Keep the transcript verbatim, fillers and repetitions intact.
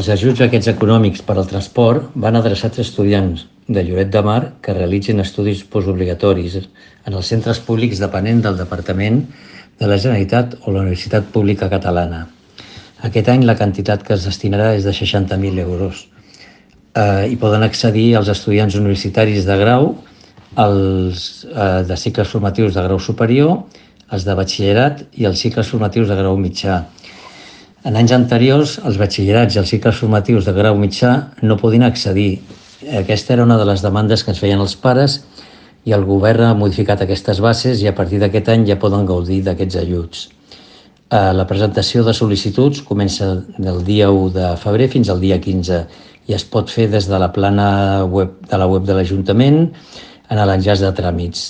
Els ajuts aquests econòmics per al transport van adreçats a estudiants de Lloret de Mar que realitzin estudis postobligatoris en els centres públics depenent del Departament de la Generalitat o la Universitat Pública Catalana. Aquest any la quantitat que es destinarà és de seixanta mil euros. Hi poden accedir els estudiants universitaris de grau, els de cicles formatius de grau superior, els de batxillerat i els cicles formatius de grau mitjà. En anys anteriors, els batxillerats i els cicles formatius de grau mitjà no podien accedir. Aquesta era una de les demandes que ens feien els pares i el govern ha modificat aquestes bases i a partir d'aquest any ja poden gaudir d'aquests ajuts. La presentació de sol·licituds comença del dia u de febrer fins al dia quinze i es pot fer des de la plana web de la web de l'Ajuntament en l'enllaç de tràmits.